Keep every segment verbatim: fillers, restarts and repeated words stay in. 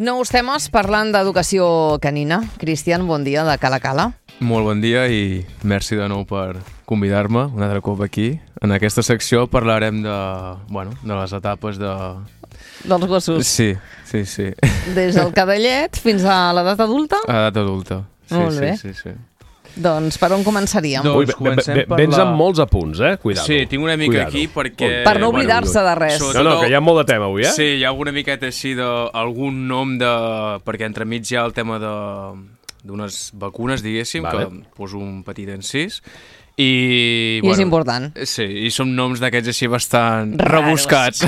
Nous temes parlant d'educació canina. Cristian, bon dia, de Cala Cala. Molt bon dia i merci de nou per convidar-me un altre cop aquí. En aquesta secció parlarem de, bueno, de les etapes de... Dels gossos. Sí, sí, sí. Des del cadellet fins a l'edat adulta? A edat adulta. Sí, Molt sí, bé. sí, sí. Doncs per on començaríem? Doncs Ui, be- be- comencem be- per vens la- amb molts apunts, eh? Cuidado. Sí, tinc una mica Cuidado. aquí perquè... Per no Eh, bueno, oblidar-se de res. Sobretot No, no, el- que hi ha molt de tema avui, eh? Sí, hi ha alguna miqueta així d'algun nom de... Perquè entremig hi ha el tema de d'unes vacunes, diguéssim, Vale. que poso un petit encís. I, I és important. Sí, i són noms d'aquests així bastant Raros. rebuscats.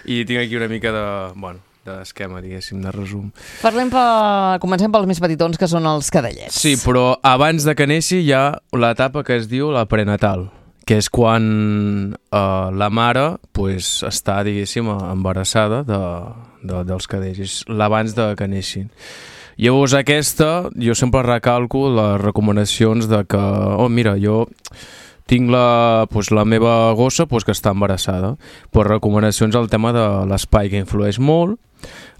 I tinc aquí una mica de... Bueno, d'esquema, diguéssim, de resum. Parlem per... Comencem pels més petitons, que són els cadellets. Sí, però abans de que neixi hi ha l'etapa que es diu la prenatal, que és quan eh, la mare pues, està, diguéssim, embarassada de, de, dels cadells. És l'abans de que neixin. Llavors aquesta, jo sempre recalco les recomanacions de que, oh mira, jo tinc la, pues, la meva gossa pues, que està embarassada, però recomanacions al tema de l'espai, que influeix molt,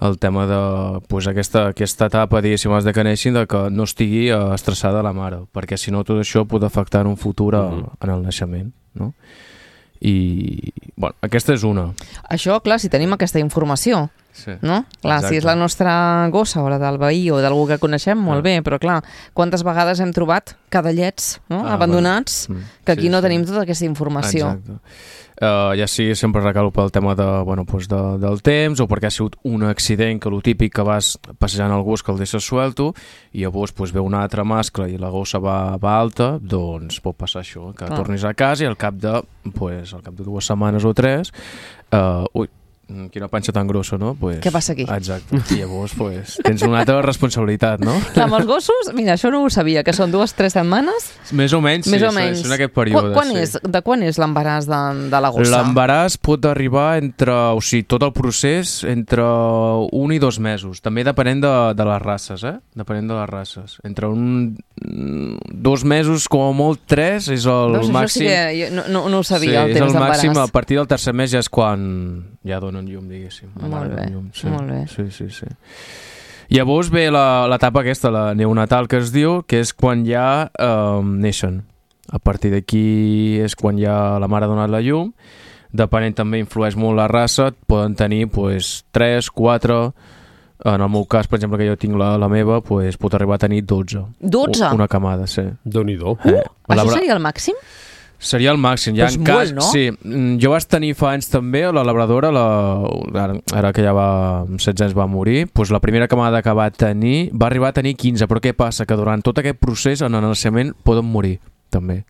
el tema de pues, aquesta, aquesta etapa, diguéssim, abans de que neixin, de que no estigui eh, estressada la mare, perquè si no tot això pot afectar en un futur a, Mhm. en el naixement, no? I, bueno, aquesta és una. Això, clar, si tenim aquesta informació, Sí. no? Clar, Exacte. si és la nostra gossa o la del veí o d'algú que coneixem, molt Ah. bé, però clar, quantes vegades hem trobat cadellets, no? Ah, abandonats, bueno. Mm, que aquí sí, no sí. tenim tota aquesta informació. Exacte. Uh, ja sigui sempre recalo pel tema de, bueno, pues de, del temps o perquè ha sigut un accident, que lo típic que vas passejant el gos que el deixes suelto i llavors pues, ve un altre mascle i la gossa va, va alta, doncs pot passar això, que Clar. tornis a casa i al cap de, pues, al cap de dues setmanes o tres uh, ui, quina panxa tan grossa, no? Pues, Què passa aquí? Exacte. I llavors pues, tens una altra responsabilitat, no? Clar, amb els gossos, mira, això no ho sabia, que són dues, tres setmanes, Més o menys, més sí, o menys. és en aquest període. Quan, quan sí. és, de quan és l'embaràs de, de la gossa? L'embaràs pot arribar entre, o sigui, tot el procés entre un i dos mesos, també depenent de, de les races, eh? Depenent de les races. Entre un, dos mesos, com a molt tres, és el Veus, això màxim. sí que jo no, no, no ho sabia, sí, el és temps el màxim, a d'embaràs. partir del tercer mes ja és quan ja donen llum, diguéssim. La Molt mare bé, dona llum, sí. molt bé. Sí, sí, sí. Llavors ve la- l'etapa aquesta, la neonatal que es diu, que és quan ja eh, neixen. A partir d'aquí és quan ja la mare ha donat la llum. Depenent també influeix molt la raça, poden tenir pues, tres, quatre... En el meu cas, per exemple, que jo tinc la, la meva, pues, pot arribar a tenir dotze. dotze? Una camada, sí. Déu-n'hi-do. Eh, Això labra- seria el màxim? Seria el màxim. Ja Però és en cas, molt, no? Sí, mm, jo vaig tenir fa anys també, la labradora, la, ara, ara que ja va, amb setze anys va morir, doncs la primera camada que va tenir va arribar a tenir quinze, però què passa? Que durant tot aquest procés en el naixement poden morir, també.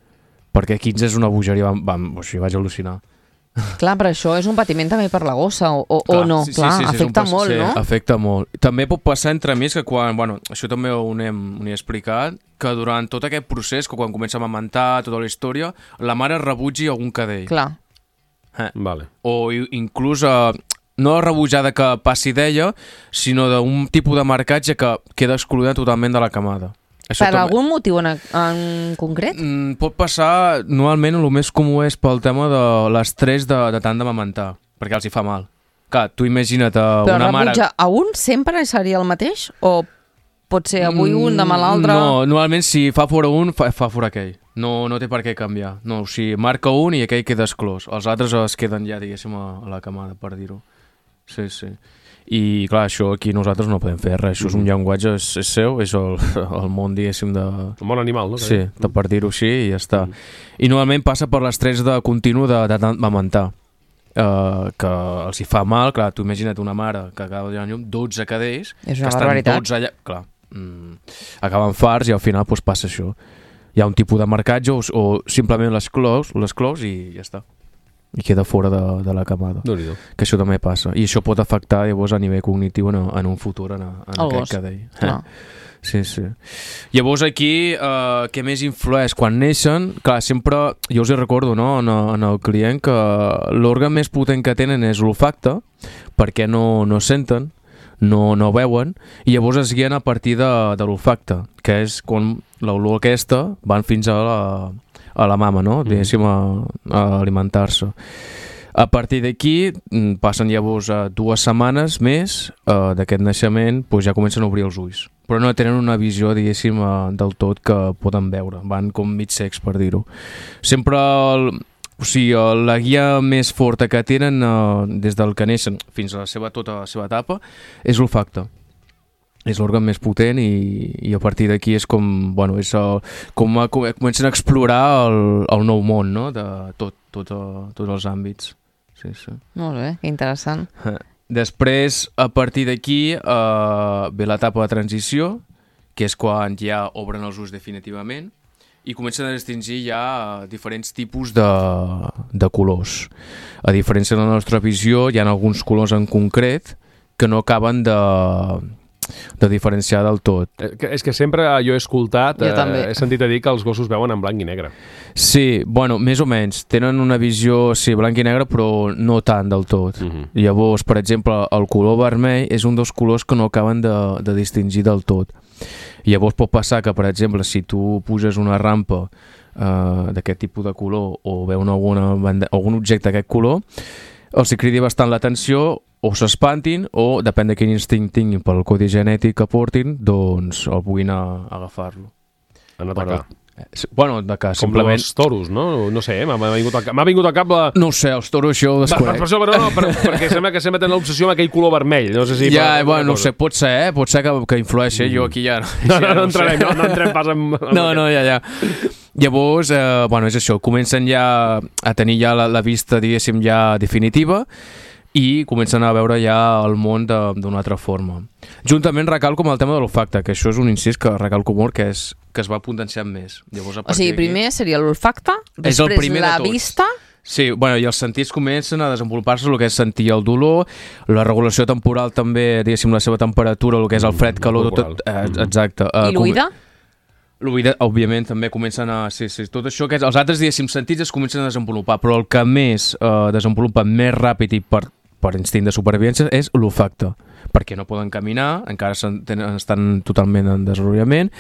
Perquè quinze és una bogeria, vam, vam, o sigui, vaig al·lucinar. Clar, però això és un patiment també per la gossa, o, o, o Clar, no? sí, sí, Clar, sí, sí, és un afecta pas- molt, sí, no? Afecta molt. També pot passar entre mig que quan, bueno, això també ho hem, ho he explicat, que durant tot aquest procés, que quan comença a amamantar tota la història, la mare rebutgi algun cadell. Clar. Eh. Vale. O i- inclús eh, no la rebutjada que passi d'ella, sinó d'un tipus de marcatge que queda excloent totalment de la camada. Això Per també- algun motiu en, en concret? Mm, pot passar, normalment el més comú és pel tema de l'estrès de, de tant d'amamentar, perquè els hi fa mal. Clar, tu imagina't uh, Però una mare... rebutjar a un sempre seria el mateix? O pot ser avui un, demà l'altre? No, normalment si fa fora un, fa, fa fora aquell. No, no té per què canviar. No, o sigui, marca un i aquell queda exclòs. Els altres es queden ja, diguéssim, a, a la camada, per dir-ho. Sí, sí. I clar, això aquí nosaltres no podem fer res. Això és un llenguatge, és, és seu, és el, el món, diguéssim, de... Un bon animal, no? Sí, de per dir-ho així i ja està. I normalment passa per l'estrès de continu de, de d'amamentar. Uh, que els hi fa mal, clar, tu imagina't una mare que acaba de donar llum, dotze cadells, És que una estan barbaritat. dotze allà, clar, mm, acaben farts i al final pues, passa això. Hi ha un tipus de marcatge o, o simplement les clous, les clous i ja està. I queda fora de, de la camada. Déu-n'hi-do. Que això també passa. I això pot afectar llavors a nivell cognitiu en, en un futur en, en El aquest gos. cadell. Clar. Sí, sí. Llavors aquí, eh, què més influeix? Quan neixen, clar, sempre, jo us hi recordo, no?, en, en el client, que l'òrgan més potent que tenen és l'olfacte, perquè no, no senten, no, no veuen, i llavors es guien a partir de, de l'olfacte, que és quan l'olor aquesta van fins a la, a la mama, no?, diguéssim, a, a alimentar-se. A partir d'aquí, passen llavors a dues setmanes més uh, d'aquest naixement, pues ja comencen a obrir els ulls. Però no tenen una visió, diguéssim, uh, del tot que poden veure. Van com mig cecs, per dir-ho. Sempre, el, o sigui, la guia més forta que tenen uh, des del que neixen fins a la seva, tota la seva etapa és l'olfacte. És l'òrgan més potent i, i a partir d'aquí és com, bueno, és el, com a, com, comencen a explorar el, el nou món, no?, de tot, tot, uh, tots els àmbits. Sí, sí. Molt bé, que interessant. Després, a partir d'aquí, eh, ve l'etapa de transició, que és quan ja obren els ulls definitivament i comencen a distingir ja diferents tipus de, de colors. A diferència de la nostra visió, hi ha alguns colors en concret que no acaben de... de diferenciar del tot. És que sempre jo he escoltat, jo eh, he sentit a dir que els gossos veuen en blanc i negre. Sí, bueno, més o menys. Tenen una visió, sí, blanc i negre, però no tant del tot. Uh-huh. Llavors, per exemple, el color vermell és un dels colors que no acaben de, de distingir del tot. Llavors pot passar que, per exemple, si tu puges una rampa eh, d'aquest tipus de color o veuen alguna, algun objecte d'aquest color, els cridi bastant l'atenció o s'espantin o, depèn de quin instint tinguin pel codi genètic que portin, doncs el puguin a, a agafar-lo. En atacar. Però, eh, bueno, atacar, com simplement... els toros, no? No sé, m'ha vingut, vingut al cap la... No ho sé, els toros això ho desconec. Per, per, per, no, per, perquè sembla que sempre tenen l'obsessió amb aquell color vermell. No sé si... Ja, per, bueno, no sé, pot ser, eh? Pot ser que, que influeixi, mm. jo aquí ja... No, no, no, no entrarem, no, no entrem pas en... No, no, ja, ja. Llavors, eh, bueno, és això, comencen ja a tenir ja la, la vista, diguéssim, ja definitiva i comencen a veure ja el món d'una altra forma. Juntament recalco amb el tema de l'olfacte, que això és un incís que recalco molt, que, és, que es va potenciant més. Llavors, a o sigui, primer seria l'olfacte, després la vista... Sí, bueno, i els sentits comencen a desenvolupar-se, el que és sentir el dolor, la regulació temporal també, diguéssim, la seva temperatura, el que és el fred, calor, tot, eh, exacte. I l'oïda? L'oïda, òbviament, també comencen a... Sí, sí, tot això, que és, els altres, diguéssim, sentits es comencen a desenvolupar, però el que més eh, desenvolupa més ràpid i per, per instint de supervivència és l'olfacte, perquè no poden caminar, encara tenen, estan totalment en desenvolupament,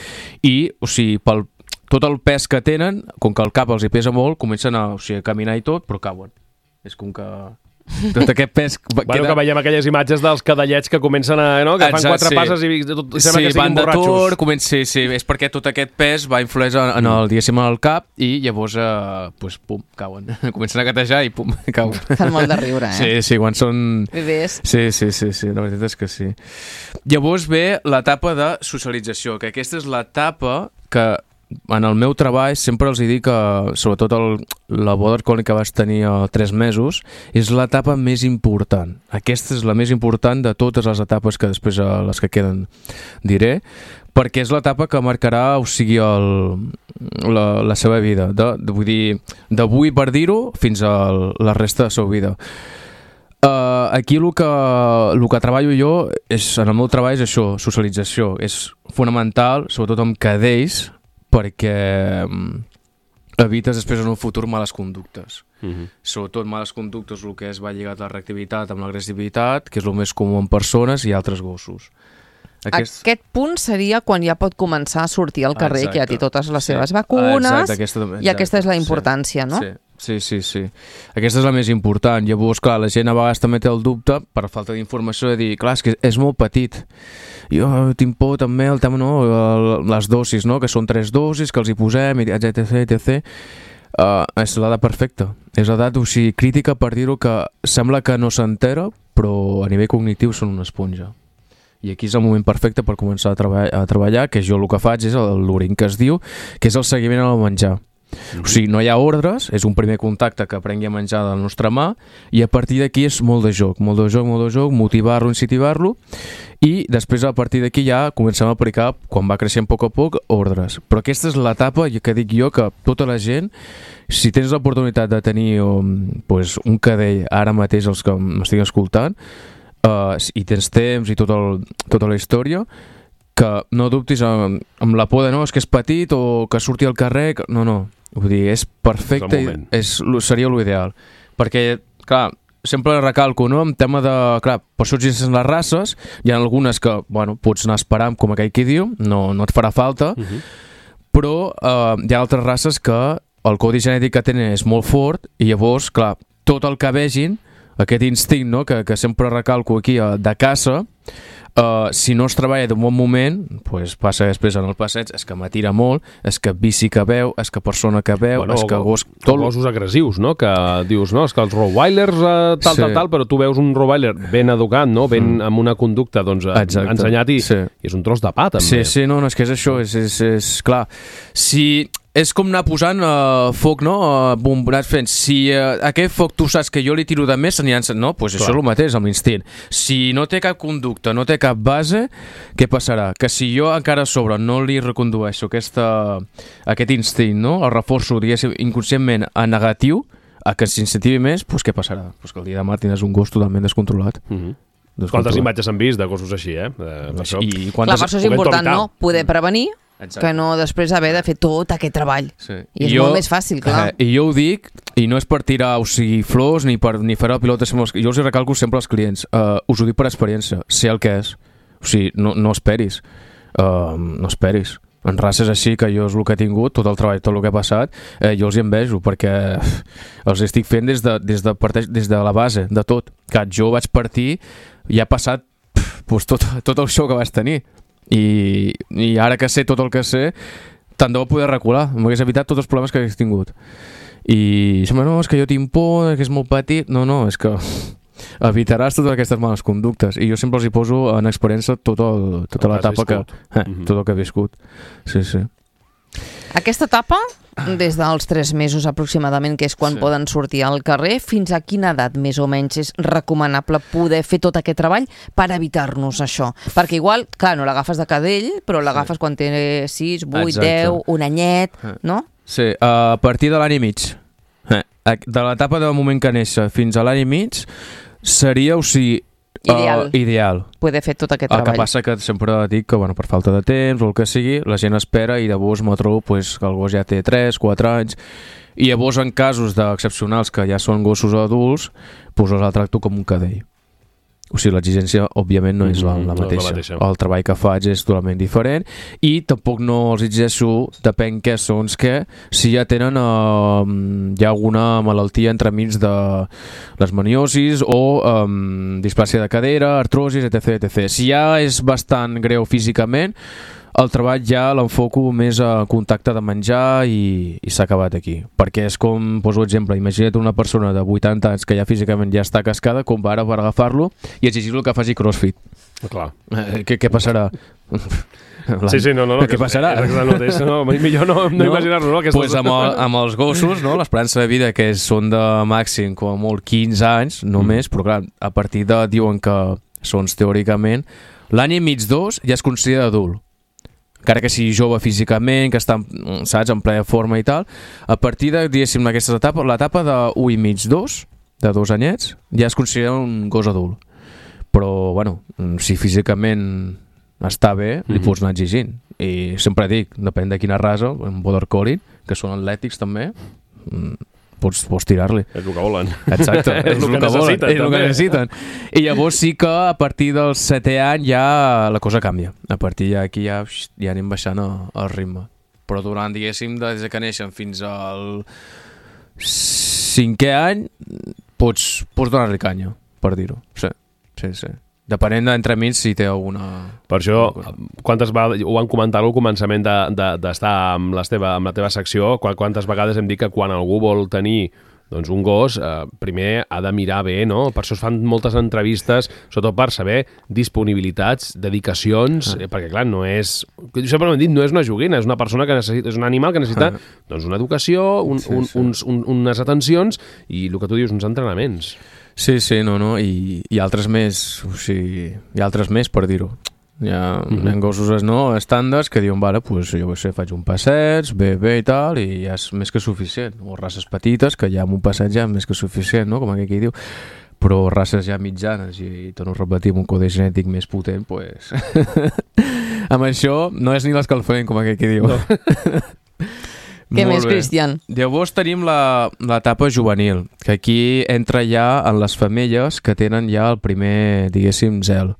i, o sigui, pel, tot el pes que tenen, com que el cap els hi pesa molt, comencen a, o sigui, a caminar i tot, però cauen. És com que... tot aquest pes... Bueno, queda... que veiem aquelles imatges dels cadallets que comencen a... No? Que fan Exacte, quatre sí. passes i tot, sembla sí, que siguin borratxos. Tour, comença, sí, sí, és perquè tot aquest pes va influir en el, diguéssim, en el cap i llavors, eh, pues, pum, cauen. Comencen a gatejar i pum, cauen. Fan molt de riure, eh? Sí, sí, quan són... Bebès. Sí, sí, sí, sí, la veritat és que sí. Llavors ve l'etapa de socialització, que aquesta és l'etapa que en el meu treball sempre els dic que, sobretot el, la border collie que vaig tenir a tres mesos, és l'etapa més important. Aquesta és la més important de totes les etapes que després, a les que queden, diré, perquè és l'etapa que marcarà, o sigui, el, la, la seva vida. De, de, vull dir, d'avui, per dir-ho, fins a la resta de la seva vida. Uh, aquí el que, el que treballo jo, és, en el meu treball, és això, socialització. És fonamental, sobretot amb cadells, perquè evites després en un futur males conductes. Uh-huh. Sobretot males conductes, el que es va lligat a la reactivitat amb l'agressivitat, que és el més comú en persones i altres gossos. Aquest... Aquest punt seria quan ja pot començar a sortir al carrer, exacte, que ja té totes les seves sí. vacunes, exacte, aquesta, exacte, i aquesta és la importància, sí. no? Sí. Sí, sí, sí. Aquesta és la més important. Llavors, clar, la gent a vegades també té el dubte, per falta d'informació, de dir, clar, és que és molt petit. Jo tinc por també el tema, no?, les dosis, no?, que són tres dosis, que els hi posem, etc, etcètera. Uh, és l'edat perfecta. És l'edat, o sigui, crítica per dir-ho, que sembla que no s'entera, però a nivell cognitiu són una esponja. I aquí és el moment perfecte per començar a, treba a treballar, que jo el que faig és l'orin que es diu, que és el seguiment al menjar. O sigui, no hi ha ordres, és un primer contacte que aprengui a menjar de la nostra mà i a partir d'aquí és molt de joc, molt de joc, molt de joc, motivar-lo, incentivar-lo i després a partir d'aquí ja comencem a aplicar, quan va creixent a poc a poc, ordres. Però aquesta és l'etapa que dic jo que tota la gent, si tens l'oportunitat de tenir um, pues, un cadell ara mateix, els que m'estic escoltant, uh, i tens temps i tot el, tota la història, que no dubtis amb, amb la por de no, és que és petit o que surti al carrer, que... no, no. Vull dir, és perfecte, és, seria l'ideal. Perquè, clar, sempre recalco, no?, en tema de... Clar, per això existeixen les races, hi ha algunes que, bueno, pots anar esperant, com aquell qui diu, no, no et farà falta, uh-huh. però eh, hi ha altres races que el codi genètic que tenen és molt fort i llavors, clar, tot el que vegin, aquest instint, no? que, que sempre recalco aquí, de caça, uh, si no es treballa d'un bon moment, pues passa després en el passeig, és que m'atira molt, és que bici que veu, és que persona que veu, bueno, és que gos... Tot... gossos agressius, no? Que dius, no, és que els rottweilers uh, tal, sí. tal, tal, però tu veus un rottweiler ben educat, no? Ben mm. amb una conducta, doncs, Exacte. ensenyat i, sí. i és un tros de pa, també. Sí, sí, no, no és que és això, és, és, és clar. Si... És com anar posant uh, foc, no? Uh, bombonats fent. Si uh, aquest foc tu saps que jo li tiro de més, s'aniran... No, doncs pues això és el mateix, amb l'instint. Si no té cap conducta, no té cap base, què passarà? Que si jo encara a sobre no li recondueixo aquesta, aquest instint, no? El reforço, diguéssim, inconscientment a negatiu, a que s'incentivi més, doncs què passarà? Pues que el dia de demà tindràs un gos totalment descontrolat. Mm-hmm. Quantes imatges han vist de gossos així, eh? eh per això... I quantes... Clar, per això és important, no? Poder prevenir, Exacte. que no després haver de fer tot aquest treball. Sí. I és I jo, molt més fàcil, clar. Eh, I jo ho dic, i no és per tirar, o sigui, flors, ni per ni fer la pilota, jo els hi recalco sempre als clients, uh, us ho dic per experiència, sé el que és, o sigui, no, no esperis, uh, no esperis. En races així, que jo és el que he tingut, tot el treball, tot el que ha passat, eh, jo els hi envejo, perquè els estic fent des de, des de, parteix, des de la base, de tot. Que jo vaig partir i ha passat pues, tot, tot el show que vaig tenir. I, i ara que sé tot el que sé, tant de bo poder recular, m'hagués evitat tots els problemes que hagués tingut. I sembla, no, és que jo tinc por, que és molt petit. No, no, és que evitaràs totes aquestes males conductes. I jo sempre els hi poso en experiència tot el, tota l'etapa que, eh, mm-hmm. tot el que he viscut. Sí, sí. Aquesta etapa, des dels tres mesos aproximadament, que és quan sí. poden sortir al carrer, fins a quina edat més o menys és recomanable poder fer tot aquest treball per evitar-nos això? Perquè igual, clar, no l'agafes de cadell, però l'agafes sí. quan té sis, vuit, deu, un anyet, no? Sí, a partir de l'any i mig. De l'etapa del moment que néixer fins a l'any i mig seria, o sigui, Ideal. Uh, ideal. Poder fer tot aquest el treball. El que passa que sempre dic que bueno, per falta de temps o el que sigui, la gent espera i llavors me trobo pues, que el gos ja té tres, quatre anys i llavors en casos d'excepcionals que ja són gossos adults, pues els el tracto com un cadell. O sigui, l'exigència, òbviament, no és la, la, mateixa. No la mateixa. El treball que faig és totalment diferent i tampoc no els exigeixo, depèn què són, que si ja tenen eh, hi ha alguna malaltia entremig de les maniosis o eh, displàsia de cadera, artrosis, etc, etcètera. Si ja és bastant greu físicament, el treball ja l'enfoco més a contacte de menjar i, i s'ha acabat aquí. Perquè és com, poso exemple, imagina't una persona de vuitanta anys que ja físicament ja està cascada, com ara per agafar-lo i exigir-lo que faci crossfit. Clar. Eh, què, què passarà? Sí, sí, no, no, no. Què passarà? És el mateix, no, millor no, no, no imaginar-lo, no? Doncs amb, el, amb els gossos, no, l'esperança de vida que són de màxim com a molt quinze anys, només, mm. però clar, a partir de, diuen que són teòricament, l'any i mig, dos, ja es considera adult. Encara que sigui jove físicament, que està, saps, en plena forma i tal, a partir de, diguéssim, aquestes etapes, l'etapa de un i mig, dos, de dos anyets, ja es considera un gos adult. Però, bueno, si físicament està bé, li mm-hmm. pots anar exigint. I sempre dic, depèn de quina raça, en border collie, que són atlètics també, pots, pots tirar-li. És el que volen. Exacte, és, és el que, que volen, és el que necessiten. I llavors sí que a partir del setè any ja la cosa canvia. A partir d'aquí ja, ja anem baixant el ritme. Però durant, diguéssim, des que neixen fins al cinquè any, pots, pots donar-li canya, per dir-ho. Sí, sí, sí. Depenent d'entremig si té alguna... Per això, quantes vegades, ho van comentar al començament d'estar de, de, amb, la teva, amb la teva secció, quantes vegades hem dit que quan algú vol tenir doncs, un gos, eh, primer ha de mirar bé, no? Per això es fan moltes entrevistes, sobretot per saber disponibilitats, dedicacions, ah. eh, perquè clar, no és... Jo sempre m'he dit, no és una joguina, és una persona que necessita, és un animal que necessita ah. doncs, una educació, un, sí, un, sí. Uns, un, unes atencions i el que tu dius, uns entrenaments. Sí, sí, no, no, i, i altres més, o sigui, hi ha altres més per dir-ho. Hi ha, mm-hmm. hi ha gossos no, estàndards que diuen, vale, pues, jo ho sé, faig un passeig, bé, bé i tal, i ja és més que suficient. O races petites, que ja amb un passeig ja és més que suficient, no? Com aquí diu. Però races ja mitjanes, i, i torno a repetir, amb un codi genètic més potent, pues... amb això no és ni l'escalfament, com aquí diu. No. Què més, Cristian? Llavors tenim l'etapa juvenil, que aquí entra ja en les femelles que tenen ja el primer, diguéssim, zel.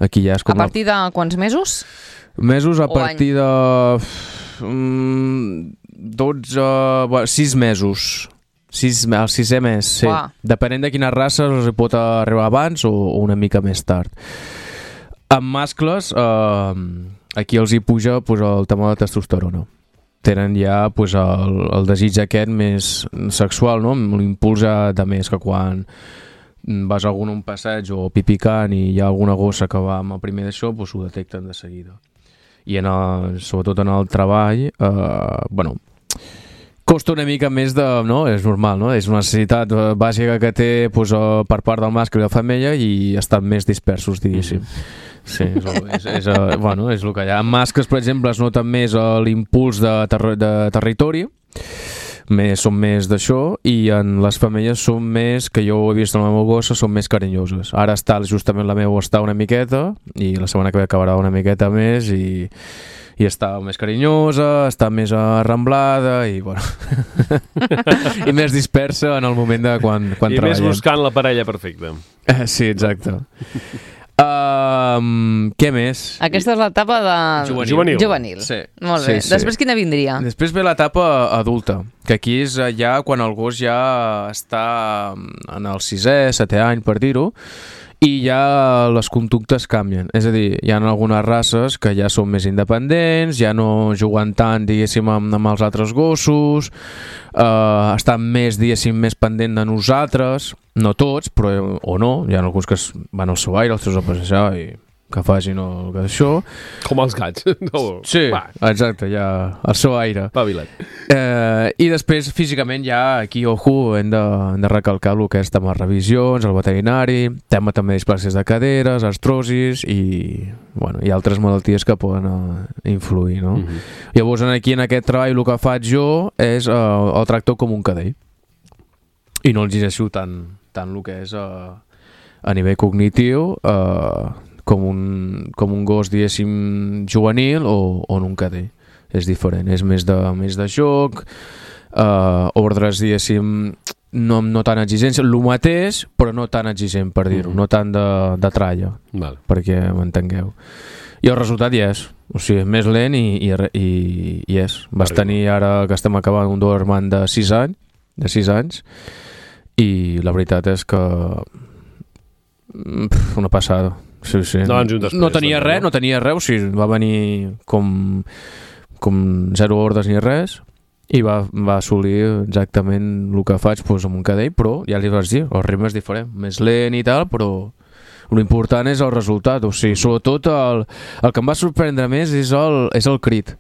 Aquí ja és com a partir de quants mesos? Mesos a partir de... Mm, dotze... sis mesos. Sis, el sisè mes, sí. Uah. Depenent de quines races els hi pot arribar abans o, o una mica més tard. Amb mascles, eh, aquí els hi puja pues, el tema de testosterona. Tenen ja pues, el, el desig aquest més sexual, no? L'impuls de més, que quan vas a algun un passeig o pipicant i hi ha alguna gossa que va amb el primer d'això, pues, ho detecten de seguida. I en el, sobretot en el treball, eh, bueno, costa una mica més de... no? És normal, no? És una necessitat bàsica que té pues, per part del mascle i la femella i estan més dispersos, diguéssim. Sí, és, és, és, bueno, és el que hi ha. En mascles, per exemple, es nota més l'impuls de, ter de territori, més, són més d'això, i en les femelles són més, que jo ho he vist en la meva gossa, són més carinyoses. Ara està, justament la meva està una miqueta, i la setmana que ve acabarà una miqueta més, i... i està més carinyosa, està més arramblada i, bueno, i més dispersa en el moment de quan, quan I treballem. més buscant la parella perfecta. Eh, sí, exacte. Um, què més? Aquesta és l'etapa de... Juvenil. Juvenil. Juvenil. Sí. Molt bé. Sí, sí. Després quina vindria? Després ve l'etapa adulta, que aquí és ja quan el gos ja està en el sisè, setè any, per dir-ho, i ja les conductes canvien. És a dir, hi ha algunes races que ja són més independents, ja no juguen tant, diguéssim, amb, amb els altres gossos, eh, estan més, diguéssim, més pendent de nosaltres, no tots, però o no, hi ha alguns que van al seu aire, els seus a passejar i que facin el que això. Com els gats. No. Sí, Va, exacte, ja el seu aire. pavilat. Eh, I després, físicament, ja aquí, ojo, hem de, hem de recalcar el que és tema revisions, el veterinari, tema també displàcies de caderes, artrosis i, bueno, i altres malalties que poden uh, influir, no? Mm-hmm. Llavors, aquí en aquest treball el que faig jo és uh, el tracto com un cadell i no el llegeixo tant, tant el que és uh, a nivell cognitiu uh, com un, com un gos, diguéssim, juvenil o, o en un cadell. És diferent, és més de, més de joc, eh, ordres, diguéssim, no, no tan exigents, el mateix, però no tan exigent, per dir-ho, mm. no tant de, de tralla, Val. perquè m'entengueu. I el resultat hi és, o sigui, més lent i, i, i, i és. Vas Arriba. tenir ara que estem acabant un Doberman de sis anys, de sis anys, i la veritat és que pff, una passada. Sí, sí. No, després, no tenia doncs, res, no? no tenia res, o sigui, va venir com, com zero ordres ni res i va, va assolir exactament el que faig doncs, amb un cadell, però ja li vas dir, el ritme és diferent, més lent i tal, però l'important és el resultat, o sigui, sobretot el, el que em va sorprendre més és el, és el crit.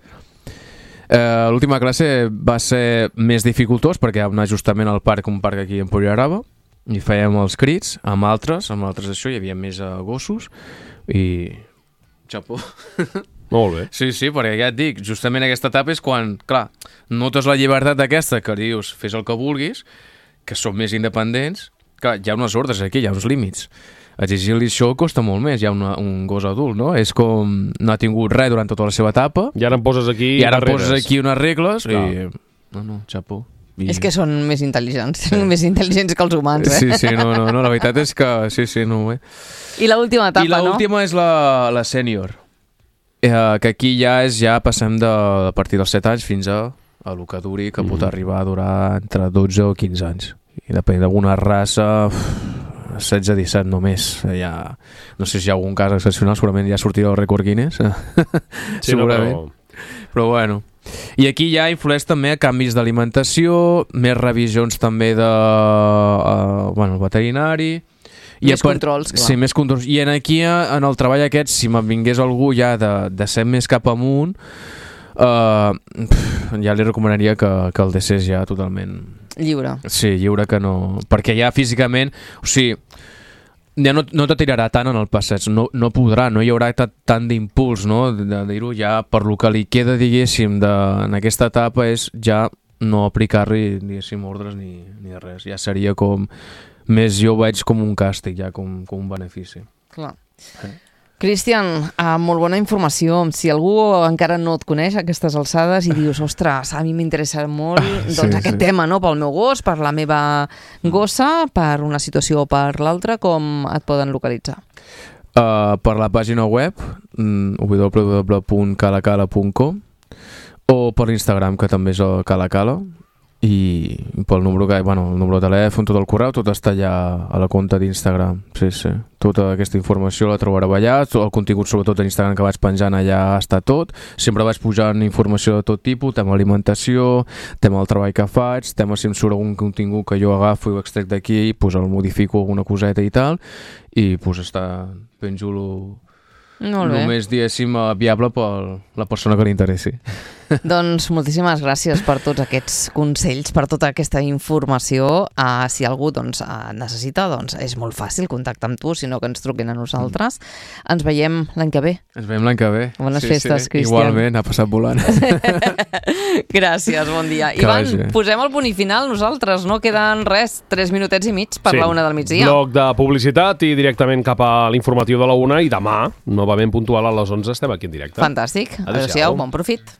Eh, l'última classe va ser més dificultós perquè vam anar justament al parc, un parc aquí en Pollarava, i fèiem els crits amb altres, amb altres això, hi havia més uh, gossos i xapó. Molt bé. Sí, sí, perquè ja et dic, justament aquesta etapa és quan, clar, notes la llibertat d'aquesta que dius, fes el que vulguis, que són més independents, clar, hi ha unes ordres aquí, hi ha uns límits. Exigir-li això costa molt més, hi ha una, un gos adult, no? És com no ha tingut res durant tota la seva etapa I ara em poses aquí i ara em barreres. poses aquí unes regles Clar. i... No, no, xapó. I... És que són més intel·ligents, sí. més intel·ligents que els humans, eh? Sí, sí, no, no, no, la veritat és que sí, sí, no, eh? I l'última etapa, I l'última no? és la, la sènior, eh, que aquí ja és ja passem de, a partir dels set anys fins a, a lo que duri, que mm. pot arribar a durar entre dotze o quinze anys. I depèn d'alguna raça, setze a disset només. Ja, no sé si hi ha algun cas excepcional, segurament ja sortirà el rècord Guinness. Sí, segurament. no, però... Però bueno... I aquí ja influeix també canvis d'alimentació, més revisions també de uh, bueno, el veterinari. I Més part... controls, clar. Sí, més controls. I en aquí, en el treball aquest, si me'n vingués algú ja de, de ser més cap amunt, uh, ja li recomanaria que, que el deixés ja totalment... Lliure. Sí, lliure, que no... Perquè ja físicament, o sigui, ja no, no te tirarà tant en el passeig, no, no podrà, no hi haurà tant d'impuls, no? De, de dir-ho ja, per lo que li queda, diguéssim, de, en aquesta etapa és ja no aplicar-li, diguéssim, ordres ni, ni res. Ja seria com... Més jo ho veig com un càstig, ja com, com un benefici. Clar. Eh. Cristian, uh, molt bona informació. Si algú encara no et coneix a aquestes alçades i dius, ostres, a mi m'interessa molt doncs, sí, aquest sí. tema, no? Pel meu gos, per la meva gossa, per una situació o per l'altra, com et poden localitzar? Uh, per la pàgina web w w w punt calacala punt com o per l'Instagram, que també és el calacala, i pel número que, bueno, el número de telèfon, tot el correu, tot està allà a la compte d'Instagram. Sí, sí. Tota aquesta informació la trobareu allà, el contingut sobretot a Instagram que vaig penjant allà està tot. Sempre vaig pujant informació de tot tipus, tema alimentació, tema del treball que faig, tema si em surt algun contingut que jo agafo i ho extrec d'aquí, pues el modifico alguna coseta i tal, i pues està ben xulo. Molt bé. Només, diguéssim, viable per la persona que li interessi. Doncs moltíssimes gràcies per tots aquests consells, per tota aquesta informació. Uh, si algú doncs, uh, necessita, doncs és molt fàcil contactar amb tu, sinó que ens truquin a nosaltres. Mm. Ens veiem l'any que ve. Ens veiem l'any que ve. Bones sí, festes, sí. Cristian. Igualment, ha passat volant. Gràcies, bon dia. Que Ivan, vagi. Posem el punt i final nosaltres, no queden res, tres minutets i mig per sí. la una del migdia. Bloc de publicitat i directament cap a l'informatiu de la una, i demà, novament puntual a les onze, estem aquí en directe. Fantàstic. Adéu-siau, bon profit.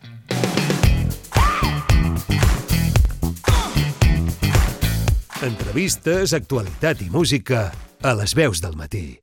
Entrevistes, actualitat i música a les veus del matí.